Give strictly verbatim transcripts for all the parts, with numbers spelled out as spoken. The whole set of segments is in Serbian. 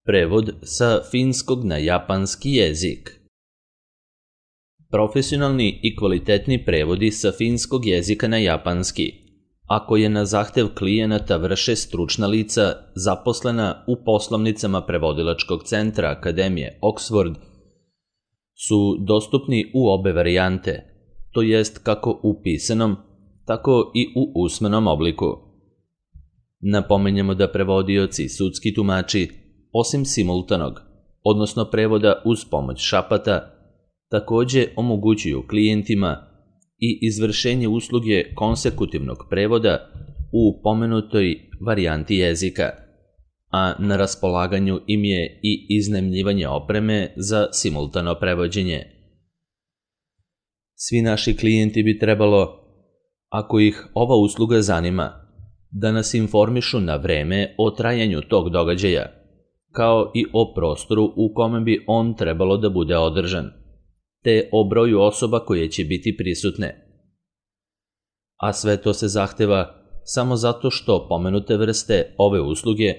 Prevod sa finskog na japanski jezik. Profesionalni i kvalitetni prevodi sa finskog jezika na japanski, ako je na zahtev klijenata vrše stručna lica zaposlena u poslovnicama prevodilačkog centra Akademije Oxford, su dostupni u obe varijante, to jest kako u pisanom, tako i u usmenom obliku. Napominjemo da prevodioci i sudski tumači, osim simultanog, odnosno prevoda uz pomoć šapata, takođe omogućuju klijentima i izvršenje usluge konsekutivnog prevoda u pomenutoj varijanti jezika, a na raspolaganju im je i iznajmljivanje opreme za simultano prevođenje. Svi naši klijenti bi trebalo, ako ih ova usluga zanima, da nas informišu na vreme o trajanju tog događaja, kao i o prostoru u kome bi on trebalo da bude održan, te o broju osoba koje će biti prisutne. A sve to se zahteva samo zato što pomenute vrste ove usluge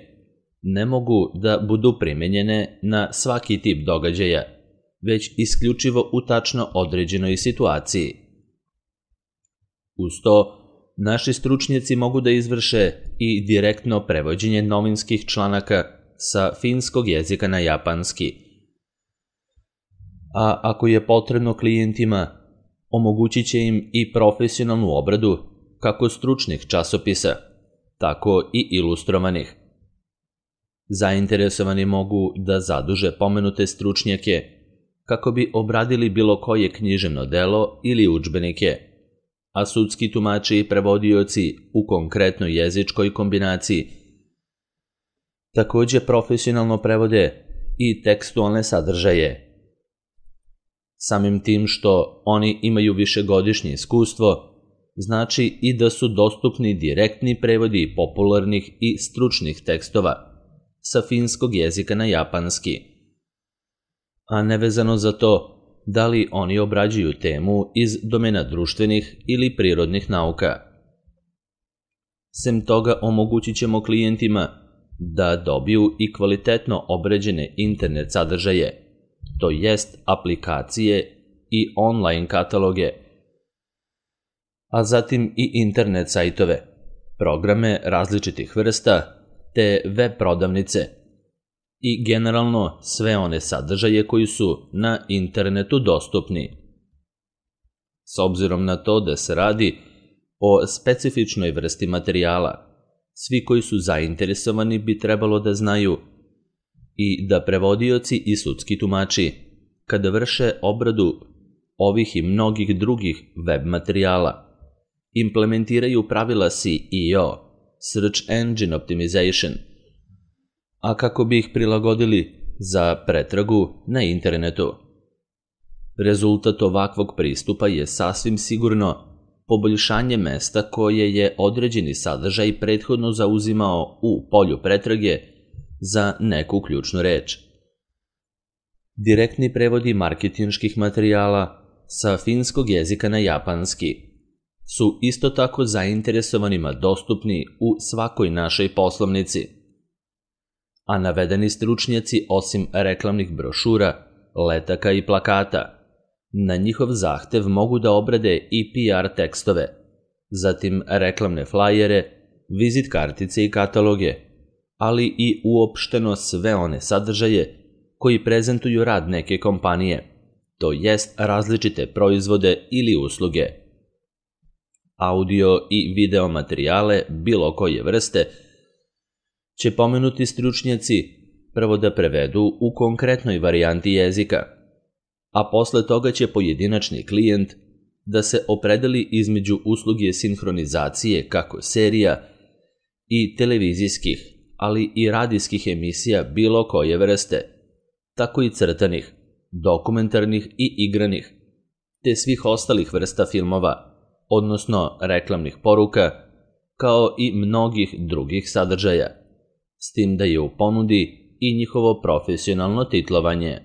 ne mogu da budu primenjene na svaki tip događaja, već isključivo u tačno određenoj situaciji. Uz to, naši stručnjaci mogu da izvrše i direktno prevođenje novinskih članaka sa finskog jezika na japanski. A ako je potrebno klijentima, omogućit će im i profesionalnu obradu kako stručnih časopisa, tako i ilustrovanih. Zainteresovani mogu da zaduže pomenute stručnjake kako bi obradili bilo koje književno delo ili udžbenike, a sudski tumači i prevodioci u konkretnoj jezičkoj kombinaciji takođe profesionalno prevode i tekstualne sadržaje. Samim tim što oni imaju višegodišnje iskustvo, znači i da su dostupni direktni prevodi popularnih i stručnih tekstova sa finskog jezika na japanski, a nevezano za to da li oni obrađuju temu iz domena društvenih ili prirodnih nauka. Sem toga omogućit ćemo klijentima da dobiju i kvalitetno obrađene internet sadržaje, to jest aplikacije i online kataloge, a zatim i internet sajtove, programe različitih vrsta, te web prodavnice i generalno sve one sadržaje koji su na internetu dostupni. S obzirom na to da se radi o specifičnoj vrsti materijala, svi koji su zainteresovani bi trebalo da znaju i da prevodioci i sudski tumači, kada vrše obradu ovih i mnogih drugih web materijala, implementiraju pravila S E O, Search Engine Optimization, a kako bi ih prilagodili za pretragu na internetu. Rezultat ovakvog pristupa je sasvim sigurno poboljšanje mesta koje je određeni sadržaj prethodno zauzimao u polju pretrage za neku ključnu reč. Direktni prevodi marketinških materijala sa finskog jezika na japanski su isto tako zainteresovanima dostupni u svakoj našoj poslovnici, a navedeni stručnjaci osim reklamnih brošura, letaka i plakata, na njihov zahtev mogu da obrade i P R tekstove, zatim reklamne flajere, vizit kartice i kataloge, ali i uopšteno sve one sadržaje koji prezentuju rad neke kompanije, to jest različite proizvode ili usluge. Audio i video materijale bilo koje vrste će pomenuti stručnjaci prvo da prevedu u konkretnoj varijanti jezika, a posle toga će pojedinačni klijent da se opredeli između usluge sinhronizacije kako serija i televizijskih, ali i radijskih emisija bilo koje vrste, tako i crtanih, dokumentarnih i igranih, te svih ostalih vrsta filmova, odnosno reklamnih poruka, kao i mnogih drugih sadržaja, s tim da je u ponudi i njihovo profesionalno titlovanje.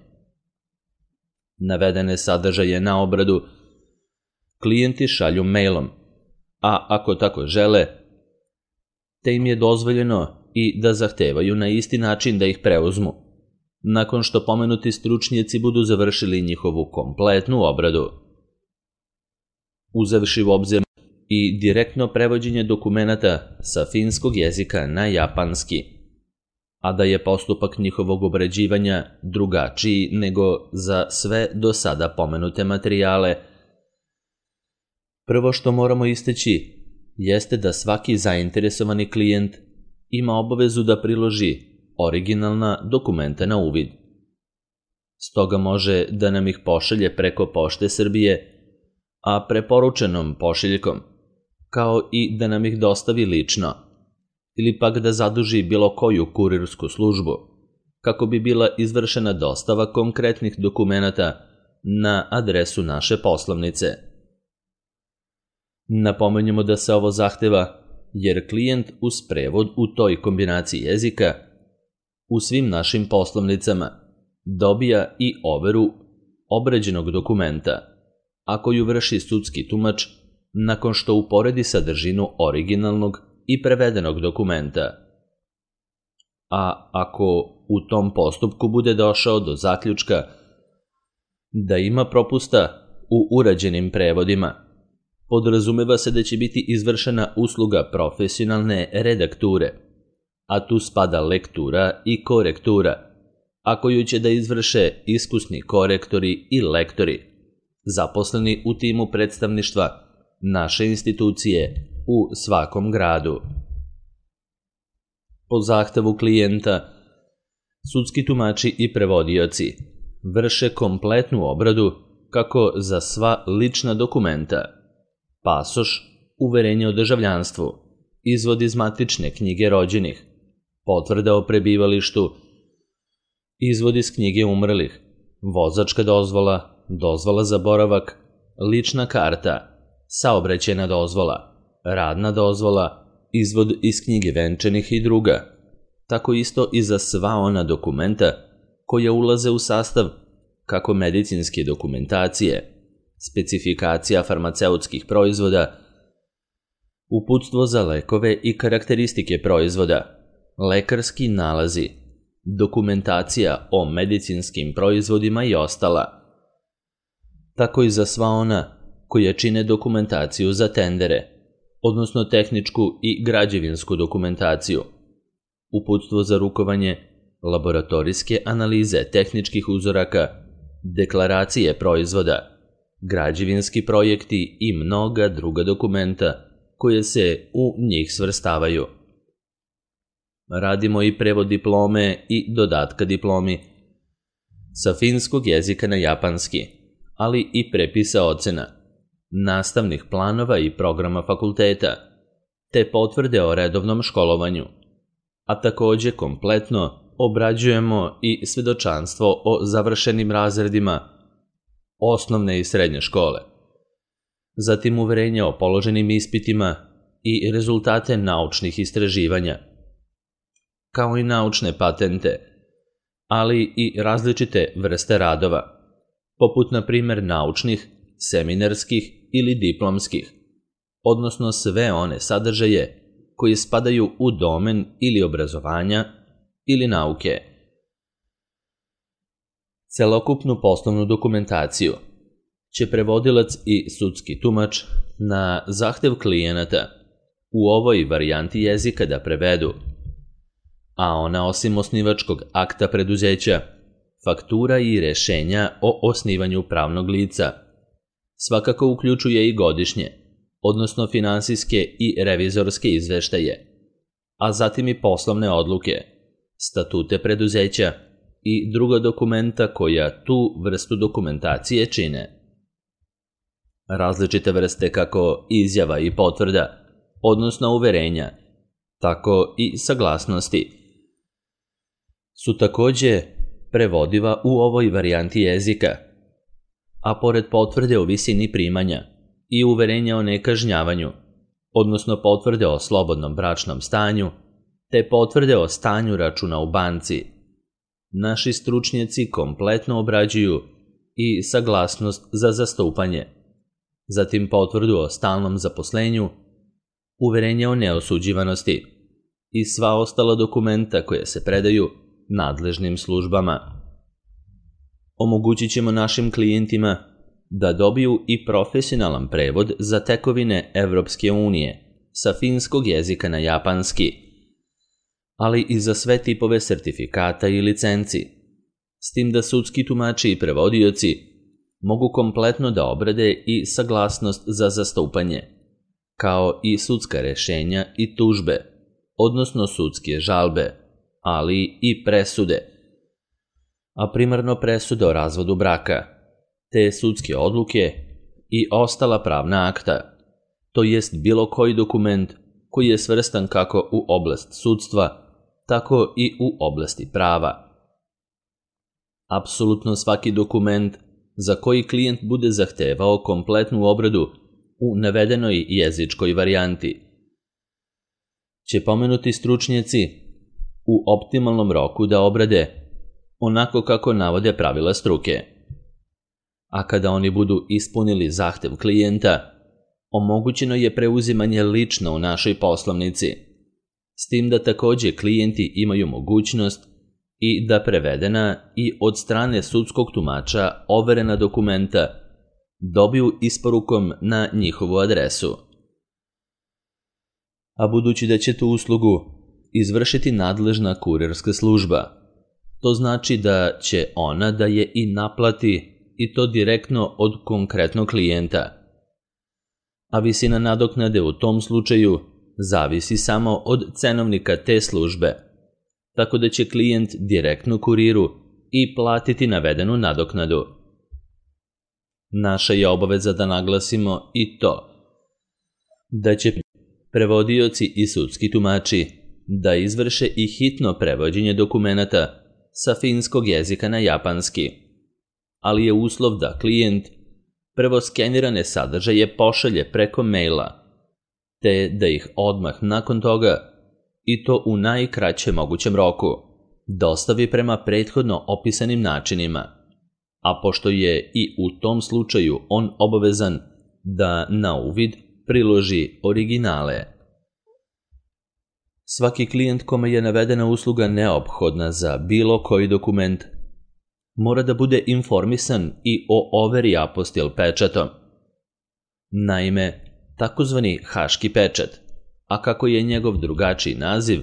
Navedene sadržaje na obradu klijenti šalju mailom, a ako tako žele, te im je dozvoljeno i da zahtevaju na isti način da ih preuzmu, nakon što pomenuti stručnjaci budu završili njihovu kompletnu obradu. Uzevši u obzir i direktno prevođenje dokumenata sa finskog jezika na japanski, a da je postupak njihovog obrađivanja drugačiji nego za sve do sada pomenute materijale. Prvo što moramo istaći jeste da svaki zainteresovani klijent ima obavezu da priloži originalna dokumenta na uvid. Stoga može da nam ih pošalje preko Pošte Srbije, a preporučenom pošiljkom, kao i da nam ih dostavi lično, ili pak da zaduži bilo koju kurirsku službu, kako bi bila izvršena dostava konkretnih dokumenata na adresu naše poslovnice. Napomenjemo da se ovo zahteva jer klijent uz prevod u toj kombinaciji jezika u svim našim poslovnicama dobija i overu obrađenog dokumenta, a koju vrši sudski tumač nakon što uporedi sadržinu originalnog i prevedenog dokumenta. A ako u tom postupku bude došao do zaključka da ima propusta u urađenim prevodima, podrazumeva se da će biti izvršena usluga profesionalne redakture, a tu spada lektura i korektura, a koju će da izvrše iskusni korektori i lektori, zaposleni u timu predstavništva naše institucije u svakom gradu. Po zahtevu klijenta, sudski tumači i prevodioci vrše kompletnu obradu kako za sva lična dokumenta, pasoš, uverenje o državljanstvu, izvod iz matične knjige rođenih, potvrda o prebivalištu, izvod iz knjige umrlih, vozačka dozvola, dozvola za boravak, lična karta, saobraćajna dozvola, radna dozvola, izvod iz knjige venčanih i druga, tako isto i za sva ona dokumenta koja ulaze u sastav kako medicinske dokumentacije, specifikacija farmaceutskih proizvoda, uputstvo za lekove i karakteristike proizvoda, lekarski nalazi, dokumentacija o medicinskim proizvodima i ostala, tako i za sva ona koje čine dokumentaciju za tendere, odnosno tehničku i građevinsku dokumentaciju, uputstvo za rukovanje, laboratorijske analize tehničkih uzoraka, deklaracije proizvoda, građevinski projekti i mnoga druga dokumenta koje se u njih svrstavaju. Radimo i prevod diplome i dodatka diplomi sa finskog jezika na japanski, ali i prepisa ocena, nastavnih planova i programa fakulteta, te potvrde o redovnom školovanju, a takođe kompletno obrađujemo i svedočanstvo o završenim razredima osnovne i srednje škole, zatim uverenje o položenim ispitima i rezultate naučnih istraživanja, kao i naučne patente, ali i različite vrste radova, poput na primer naučnih, seminarskih ili diplomskih, odnosno sve one sadržaje koji spadaju u domen ili obrazovanja ili nauke. Celokupnu poslovnu dokumentaciju će prevodilac i sudski tumač na zahtev klijenata u ovoj varijanti jezika da prevedu, a ona osim osnivačkog akta preduzeća, faktura i rešenja o osnivanju pravnog lica svakako uključuje i godišnje, odnosno finansijske i revizorske izveštaje, a zatim i poslovne odluke, statute preduzeća i druga dokumenta koja tu vrstu dokumentacije čine. Različite vrste kako izjava i potvrda, odnosno uverenja, tako i saglasnosti, su takođe prevodiva u ovoj varijanti jezika, a pored potvrde o visini primanja i uverenja o nekažnjavanju, odnosno potvrde o slobodnom bračnom stanju, te potvrde o stanju računa u banci, naši stručnjaci kompletno obrađuju i saglasnost za zastupanje, zatim potvrdu o stalnom zaposlenju, uverenje o neosuđivanosti i sva ostala dokumenta koje se predaju nadležnim službama. Omogućit ćemo našim klijentima da dobiju i profesionalan prevod za tekovine Evropske unije sa finskog jezika na japanski, ali i za sve tipove sertifikata i licenci, s tim da sudski tumači i prevodioci mogu kompletno da obrade i saglasnost za zastupanje, kao i sudska rešenja i tužbe, odnosno sudske žalbe, ali i presude, a primarno presude o razvodu braka, te sudske odluke i ostala pravna akta, to jest bilo koji dokument koji je svrstan kako u oblast sudstva, tako i u oblasti prava. Apsolutno svaki dokument za koji klijent bude zahtevao kompletnu obradu u navedenoj jezičkoj varijanti će pomenuti stručnjaci u optimalnom roku da obrade onako kako navode pravila struke. A kada oni budu ispunili zahtev klijenta, omogućeno je preuzimanje lično u našoj poslovnici, s tim da takođe klijenti imaju mogućnost i da prevedena i od strane sudskog tumača overena dokumenta dobiju isporukom na njihovu adresu. A budući da će tu uslugu izvršiti nadležna kurirska služba, to znači da će ona da je i naplati i to direktno od konkretnog klijenta. A visina nadoknade u tom slučaju zavisi samo od cenovnika te službe, tako da će klijent direktno kuriru i platiti navedenu nadoknadu. Naša je obaveza da naglasimo i to da će prevodioci i sudski tumači da izvrše i hitno prevođenje dokumenata sa finskog jezika na japanski, ali je uslov da klijent prvo skenirane sadržaje pošalje preko maila, te da ih odmah nakon toga, i to u najkraćem mogućem roku, dostavi prema prethodno opisanim načinima, a pošto je i u tom slučaju on obavezan da na uvid priloži originale. Svaki klijent kome je navedena usluga neophodna za bilo koji dokument mora da bude informisan i o overi apostil pečatom. Naime, takozvani haški pečat, a kako je njegov drugačiji naziv,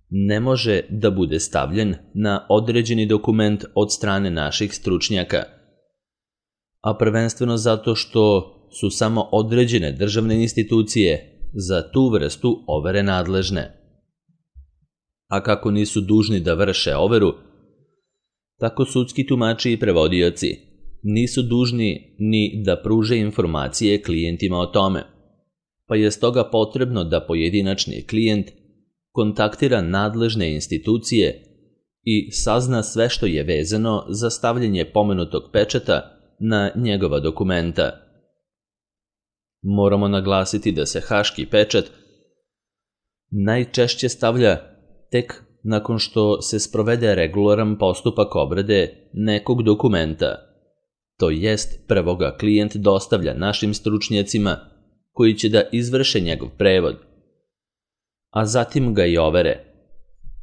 ne može da bude stavljen na određeni dokument od strane naših stručnjaka, a prvenstveno zato što su samo određene državne institucije za tu vrstu overe nadležne. A kako nisu dužni da vrše overu, tako sudski tumači i prevodioci nisu dužni ni da pruže informacije klijentima o tome, pa je stoga potrebno da pojedinačni klijent kontaktira nadležne institucije i sazna sve što je vezano za stavljanje pomenutog pečata na njegova dokumenta. Moramo naglasiti da se haški pečat najčešće stavlja tek nakon što se sprovede regularan postupak obrade nekog dokumenta, to jest prvo ga klijent dostavlja našim stručnjacima koji će da izvrše njegov prevod, a zatim ga i overe,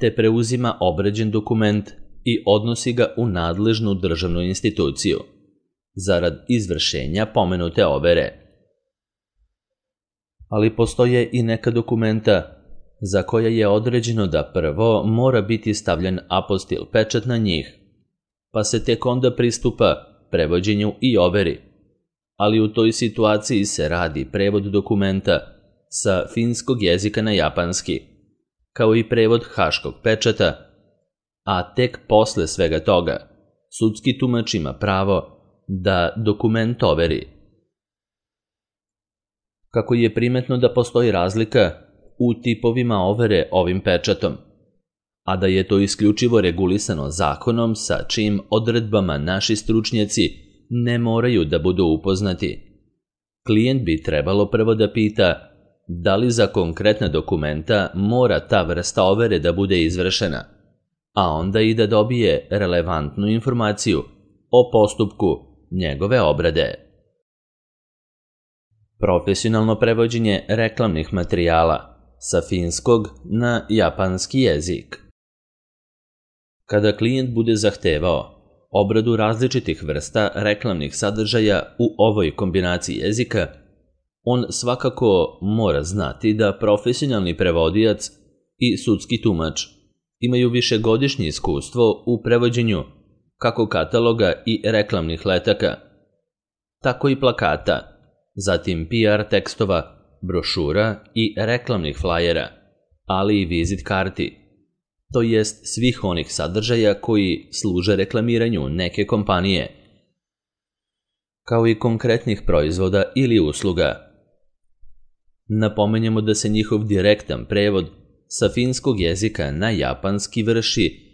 te preuzima obrađen dokument i odnosi ga u nadležnu državnu instituciju, zarad izvršenja pomenute overe. Ali postoje i neka dokumenta za koja je određeno da prvo mora biti stavljen apostil pečat na njih, pa se tek onda pristupa prevođenju i overi, ali u toj situaciji se radi prevod dokumenta sa finskog jezika na japanski, kao i prevod haškog pečata, a tek posle svega toga sudski tumač ima pravo da dokument overi. Kako je primetno da postoji razlika u tipovima overe ovim pečatom, a da je to isključivo regulisano zakonom sa čijim odredbama naši stručnjaci ne moraju da budu upoznati, klijent bi trebalo prvo da pita da li za konkretna dokumenta mora ta vrsta overe da bude izvršena, a onda i da dobije relevantnu informaciju o postupku njegove obrade. Profesionalno prevođenje reklamnih materijala sa finskog na japanski jezik. Kada klijent bude zahtevao obradu različitih vrsta reklamnih sadržaja u ovoj kombinaciji jezika, on svakako mora znati da profesionalni prevodilac i sudski tumač imaju višegodišnje iskustvo u prevođenju kako kataloga i reklamnih letaka, tako i plakata, zatim P R tekstova, brošura i reklamnih flajera, ali i vizit karti, to jest svih onih sadržaja koji služe reklamiranju neke kompanije, kao i konkretnih proizvoda ili usluga. Napomenjemo da se njihov direktan prevod sa finskog jezika na japanski vrši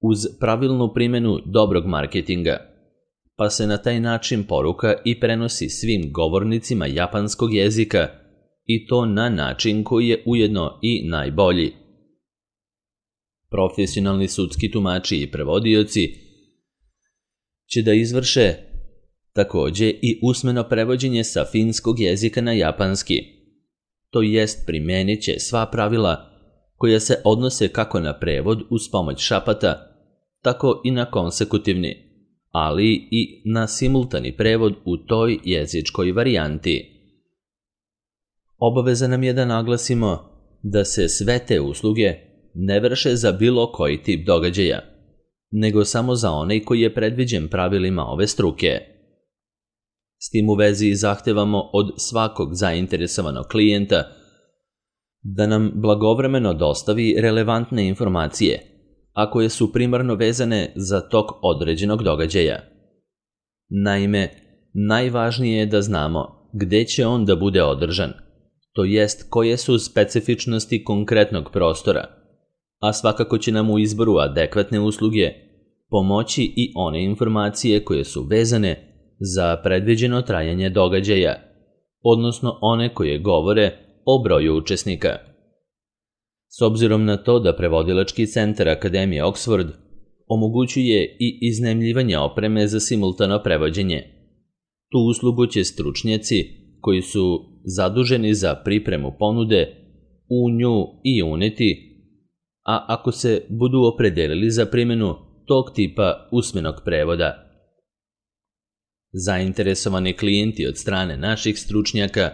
uz pravilnu primjenu dobrog marketinga, pa se na taj način poruka i prenosi svim govornicima japanskog jezika i to na način koji je ujedno i najbolji. Profesionalni sudski tumači i prevodioci će da izvrše takođe i usmeno prevođenje sa finskog jezika na japanski, to jest primenit će sva pravila koja se odnose kako na prevod uz pomoć šapata, tako i na konsekutivni, ali i na simultani prevod u toj jezičkoj varijanti. Obaveza nam je da naglasimo da se sve te usluge ne vrše za bilo koji tip događaja, nego samo za onaj koji je predviđen pravilima ove struke. S tim u vezi zahtevamo od svakog zainteresovanog klijenta da nam blagovremeno dostavi relevantne informacije, a koje su primarno vezane za tok određenog događaja. Naime, najvažnije je da znamo gde će on da bude održan, to jest koje su specifičnosti konkretnog prostora, a svakako će nam u izboru adekvatne usluge pomoći i one informacije koje su vezane za predviđeno trajanje događaja, odnosno one koje govore o broju učesnika. S obzirom na to da prevodilački centar Akademije Oxford omogućuje i iznajmljivanje opreme za simultano prevođenje, tu uslugu će stručnjaci koji su zaduženi za pripremu ponude u nju i uneti, a ako se budu opredelili za primjenu tog tipa usmenog prevoda. Zainteresovani klijenti od strane naših stručnjaka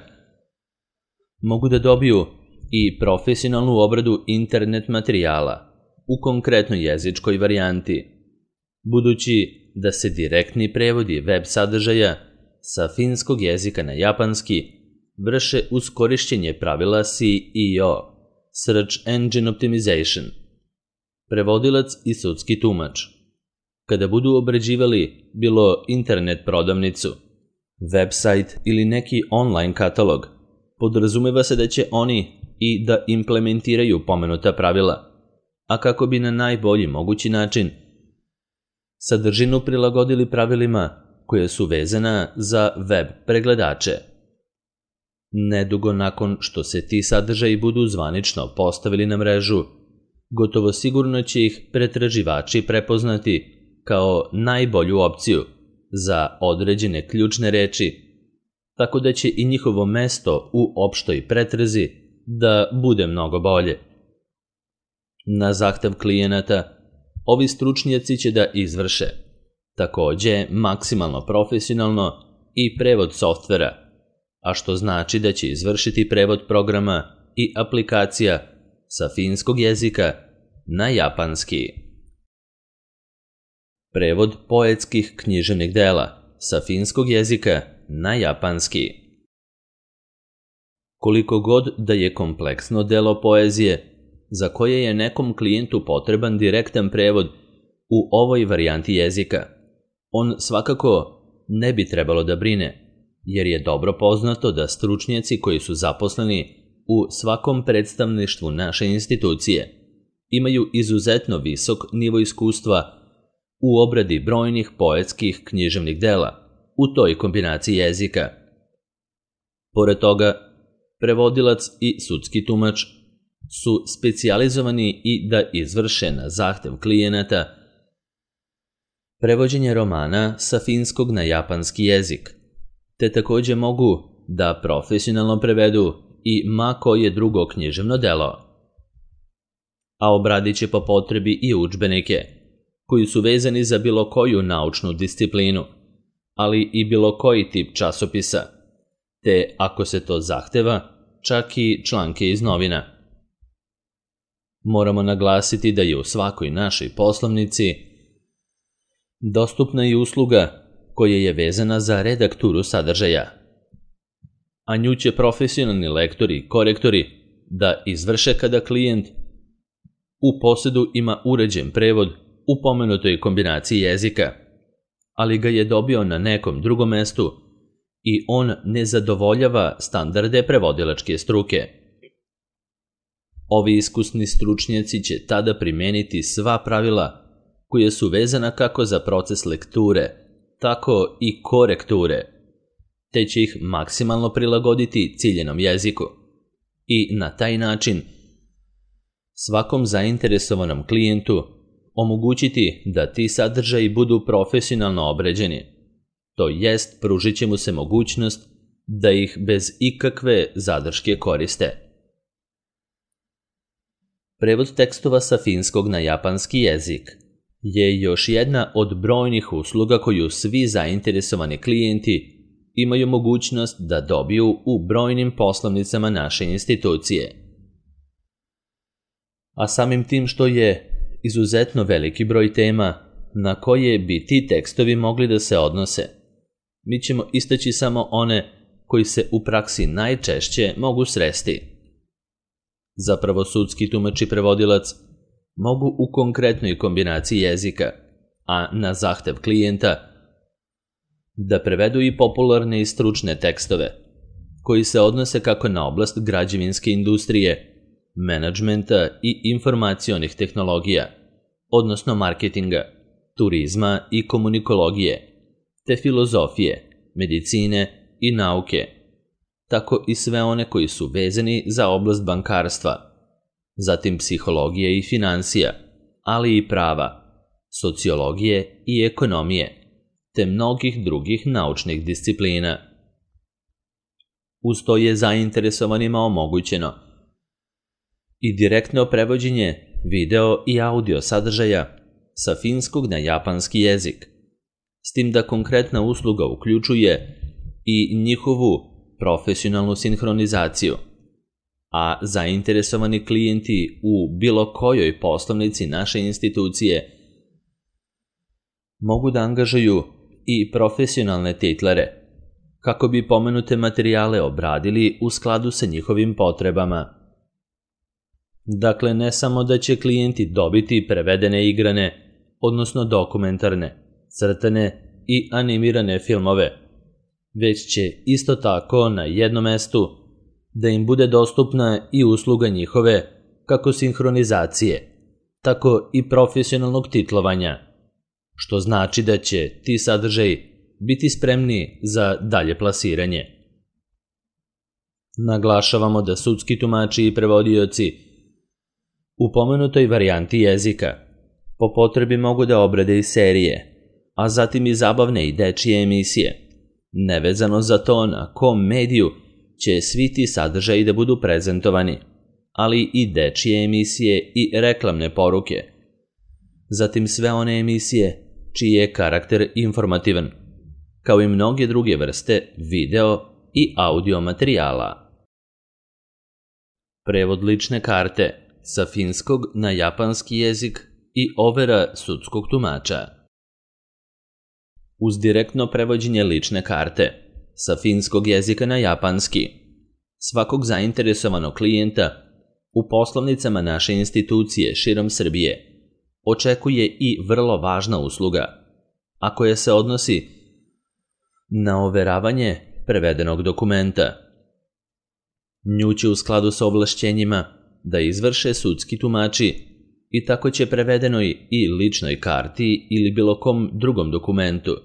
mogu da dobiju i profesionalnu obradu internet materijala u konkretnoj jezičkoj varijanti, budući da se direktni prevodi web sadržaja sa finskog jezika na japanski vrše uz korišćenje pravila S E O, Search Engine Optimization. Prevodilac i sudski tumač, kada budu obrađivali bilo internet prodavnicu, website ili neki online katalog, podrazumeva se da će oni i da implementiraju pomenuta pravila, a kako bi na najbolji mogući način sadržinu prilagodili pravilima koje su vezana za web pregledače. Nedugo nakon što se ti sadržaji budu zvanično postavili na mrežu, gotovo sigurno će ih pretraživači prepoznati kao najbolju opciju za određene ključne reči, tako da će i njihovo mesto u opštoj pretrazi da bude mnogo bolje. Na zahtev klijenata, ovi stručnjaci će da izvrše takođe maksimalno profesionalno i prevod softvera, a što znači da će izvršiti prevod programa i aplikacija sa finskog jezika na japanski. Prevod poetskih književnih dela sa finskog jezika na japanski. Koliko god da je kompleksno delo poezije, za koje je nekom klijentu potreban direktan prevod u ovoj varijanti jezika, on svakako ne bi trebalo da brine, jer je dobro poznato da stručnjaci koji su zaposleni u svakom predstavništvu naše institucije imaju izuzetno visok nivo iskustva u obradi brojnih poetskih književnih dela u toj kombinaciji jezika. Pored toga, prevodilac i sudski tumač su specijalizovani i da izvrše na zahtev klijenata prevođenje romana sa finskog na japanski jezik, te takođe mogu da profesionalno prevedu i ma koje drugo književno delo. A obradit će po potrebi i udžbenike, koji su vezani za bilo koju naučnu disciplinu, ali i bilo koji tip časopisa, te, ako se to zahteva, čak i članke iz novina. Moramo naglasiti da je u svakoj našoj poslovnici dostupna i usluga koja je vezana za redakturu sadržaja, a nju će profesionalni lektori i korektori da izvrše kada klijent u posedu ima uređen prevod u pomenutoj kombinaciji jezika, ali ga je dobio na nekom drugom mestu i on ne zadovoljava standarde prevodilačke struke. Ovi iskusni stručnjaci će tada primeniti sva pravila koja su vezana kako za proces lekture, tako i korekture, te će ih maksimalno prilagoditi ciljenom jeziku i na taj način svakom zainteresovanom klijentu omogućiti da ti sadržaji budu profesionalno obređeni, to jest pružit će mu se mogućnost da ih bez ikakve zadrške koriste. Prevod tekstova sa finskog na japanski jezik je još jedna od brojnih usluga koju svi zainteresovani klijenti imaju mogućnost da dobiju u brojnim poslovnicama naše institucije. A samim tim što je izuzetno veliki broj tema na koje bi ti tekstovi mogli da se odnose, mi ćemo istaći samo one koji se u praksi najčešće mogu sresti. Zapravo, sudski tumač i prevodilac mogu u konkretnoj kombinaciji jezika, a na zahtev klijenta, da prevedu i popularne i stručne tekstove, koji se odnose kako na oblast građevinske industrije, menadžmenta i informacionih tehnologija, odnosno marketinga, turizma i komunikologije, te filozofije, medicine i nauke, tako i sve one koji su vezani za oblast bankarstva, zatim psihologije i finansija, ali i prava, sociologije i ekonomije, te mnogih drugih naučnih disciplina. Uz to je zainteresovanima omogućeno i direktno prevođenje video i audio sadržaja sa finskog na japanski jezik, s tim da konkretna usluga uključuje i njihovu profesionalnu sinhronizaciju, a zainteresovani klijenti u bilo kojoj poslovnici naše institucije mogu da angažuju i profesionalne titlere kako bi pomenute materijale obradili u skladu sa njihovim potrebama. Dakle, ne samo da će klijenti dobiti prevedene igrane, odnosno dokumentarne, crtane i animirane filmove, već će isto tako na jednom mestu da im bude dostupna i usluga njihove kako sinhronizacije, tako i profesionalnog titlovanja, što znači da će ti sadržaji biti spremni za dalje plasiranje. Naglašavamo da sudski tumači i prevodioci u pomenutoj varijanti jezika po potrebi mogu da obrade i serije, a zatim i zabavne i dečije emisije, nevezano za to na kom mediju će svi ti sadržaji da budu prezentovani, ali i dečije emisije i reklamne poruke, zatim sve one emisije čiji je karakter informativan, kao i mnoge druge vrste video i audio materijala. Prevod lične karte sa finskog na japanski jezik i overa sudskog tumača. Uz direktno prevođenje lične karte sa finskog jezika na japanski, svakog zainteresovanog klijenta u poslovnicama naše institucije širom Srbije očekuje i vrlo važna usluga, a koja se odnosi na overavanje prevedenog dokumenta. Nju će u skladu sa ovlašćenjima da izvrše sudski tumači i tako će prevedenoj i ličnoj karti ili bilo kom drugom dokumentu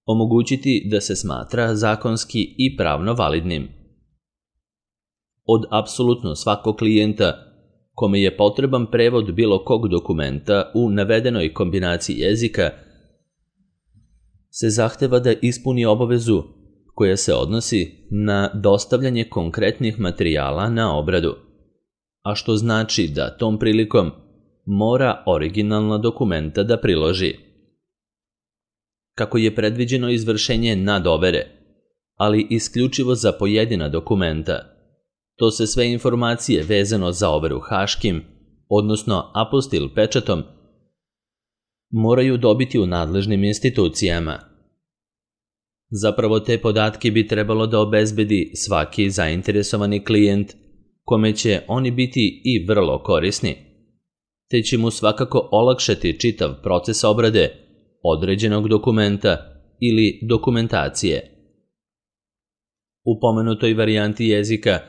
omogućiti da se smatra zakonski i pravno validnim. Od apsolutno svakog klijenta kome je potreban prevod bilo kog dokumenta u navedenoj kombinaciji jezika se zahteva da ispuni obavezu koja se odnosi na dostavljanje konkretnih materijala na obradu, a što znači da tom prilikom mora originalna dokumenta da priloži. Kako je predviđeno izvršenje nadovere, ali isključivo za pojedina dokumenta, to se sve informacije vezano za overu haškim, odnosno apostil pečatom, moraju dobiti u nadležnim institucijama. Zapravo te podatke bi trebalo da obezbedi svaki zainteresovani klijent, kome će oni biti i vrlo korisni, te će mu svakako olakšati čitav proces obrade određenog dokumenta ili dokumentacije. U pomenutoj varijanti jezika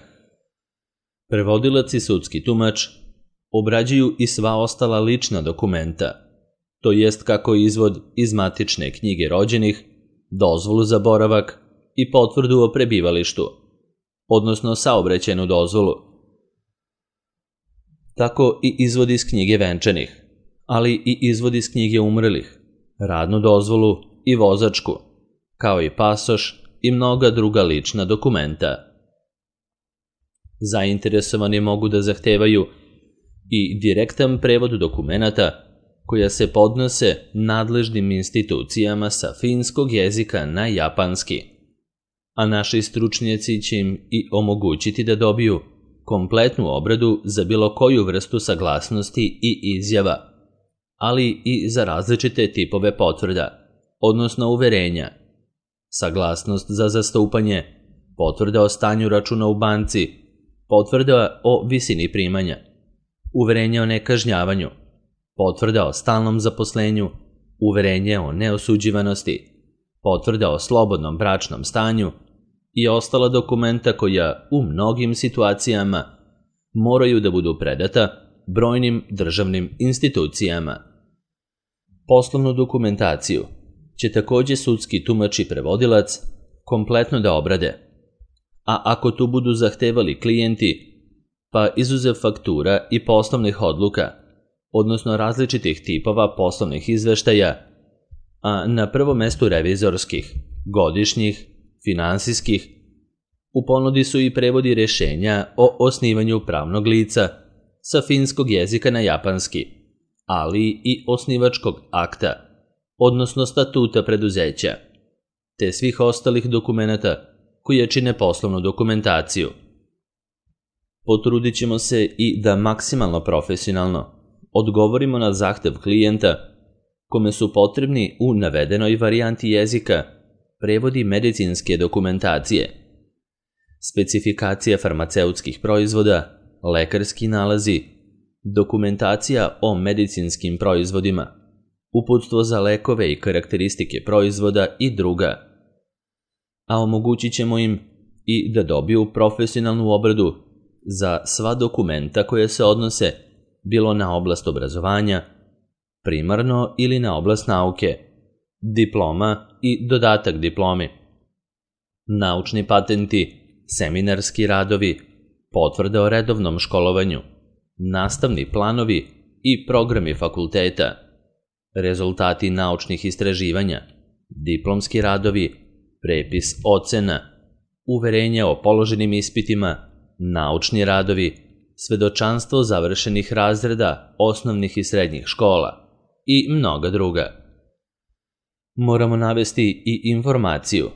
prevodilac i sudski tumač obrađuju i sva ostala lična dokumenta, to jest kako izvod iz matične knjige rođenih, dozvolu za boravak i potvrdu o prebivalištu, odnosno saobraćajnu dozvolu, tako i izvod iz knjige venčanih, ali i izvod iz knjige umrlih, radnu dozvolu i vozačku, kao i pasoš i mnoga druga lična dokumenta. Zainteresovani mogu da zahtevaju i direktan prevod dokumenata koja se podnose nadležnim institucijama sa finskog jezika na japanski, a naši stručnjaci će im i omogućiti da dobiju kompletnu obradu za bilo koju vrstu saglasnosti i izjava, ali i za različite tipove potvrda, odnosno uverenja, saglasnost za zastupanje, potvrda o stanju računa u banci, potvrda o visini primanja, uverenje o nekažnjavanju, potvrda o stalnom zaposlenju, uverenje o neosuđivanosti, potvrda o slobodnom bračnom stanju i ostala dokumenta koja u mnogim situacijama moraju da budu predata brojnim državnim institucijama. Poslovnu dokumentaciju će takođe sudski tumač i prevodilac kompletno da obrade, a ako tu budu zahtevali klijenti, pa izuzev faktura i poslovnih odluka, odnosno različitih tipova poslovnih izveštaja, a na prvom mestu revizorskih, godišnjih, finansijskih, u ponudi su i prevodi rešenja o osnivanju pravnog lica sa finskog jezika na japanski, ali i osnivačkog akta, odnosno statuta preduzeća, te svih ostalih dokumenata koje čine poslovnu dokumentaciju. Potrudit ćemo se i da maksimalno profesionalno odgovorimo na zahtev klijenta kome su potrebni u navedenoj varijanti jezika prevodi medicinske dokumentacije, specifikacija farmaceutskih proizvoda, lekarski nalazi, dokumentacija o medicinskim proizvodima, uputstvo za lekove i karakteristike proizvoda i druga, a omogućit ćemo im i da dobiju profesionalnu obradu za sva dokumenta koje se odnose bilo na oblast obrazovanja, primarno ili na oblast nauke, diploma i dodatak diplomi, naučni patenti, seminarski radovi, potvrde o redovnom školovanju, nastavni planovi i programi fakulteta, rezultati naučnih istraživanja, diplomski radovi, prepis ocena, uverenja o položenim ispitima, naučni radovi, svedočanstvo završenih razreda osnovnih i srednjih škola i mnoga druga. Moramo navesti i informaciju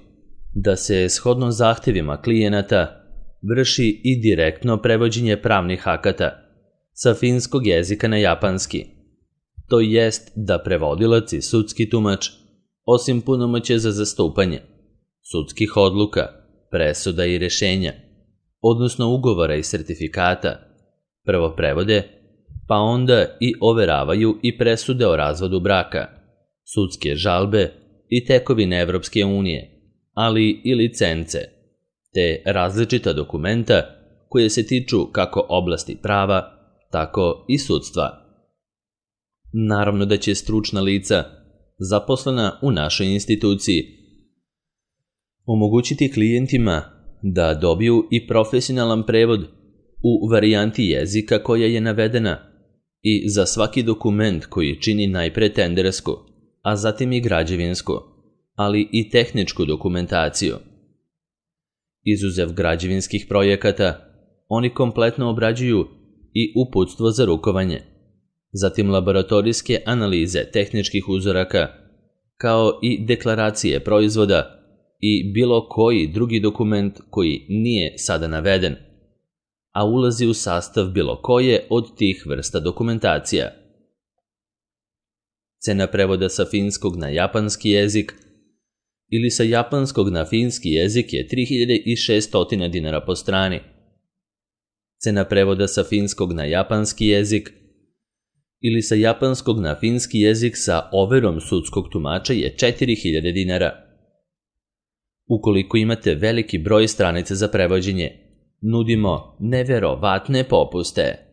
da se shodno zahtevima klijenata vrši i direktno prevođenje pravnih akata sa finskog jezika na japanski, to jest da prevodilac i sudski tumač, osim punomoćja za zastupanje, sudskih odluka, presuda i rešenja, odnosno ugovora i sertifikata, prvo prevode, pa onda i overavaju i presude o razvodu braka, sudske žalbe i tekovine Evropske unije, ali i licence, te različita dokumenta koje se tiču kako oblasti prava, tako i sudstva. Naravno da će stručna lica, zaposlena u našoj instituciji, omogućiti klijentima da dobiju i profesionalan prevod u varijanti jezika koja je navedena i za svaki dokument koji čini najpre tendersku, a zatim i građevinsku, ali i tehničku dokumentaciju. Izuzev građevinskih projekata, oni kompletno obrađuju i uputstvo za rukovanje, zatim laboratorijske analize tehničkih uzoraka, kao i deklaracije proizvoda i bilo koji drugi dokument koji nije sada naveden, a ulazi u sastav bilo koje od tih vrsta dokumentacija. Cena prevoda sa finskog na japanski jezik ili sa japanskog na finski jezik je tri hiljade šesto dinara po strani. Cena prevoda sa finskog na japanski jezik ili sa japanskog na finski jezik sa overom sudskog tumača je četiri hiljade dinara. Ukoliko imate veliki broj stranica za prevođenje, nudimo neverovatne popuste.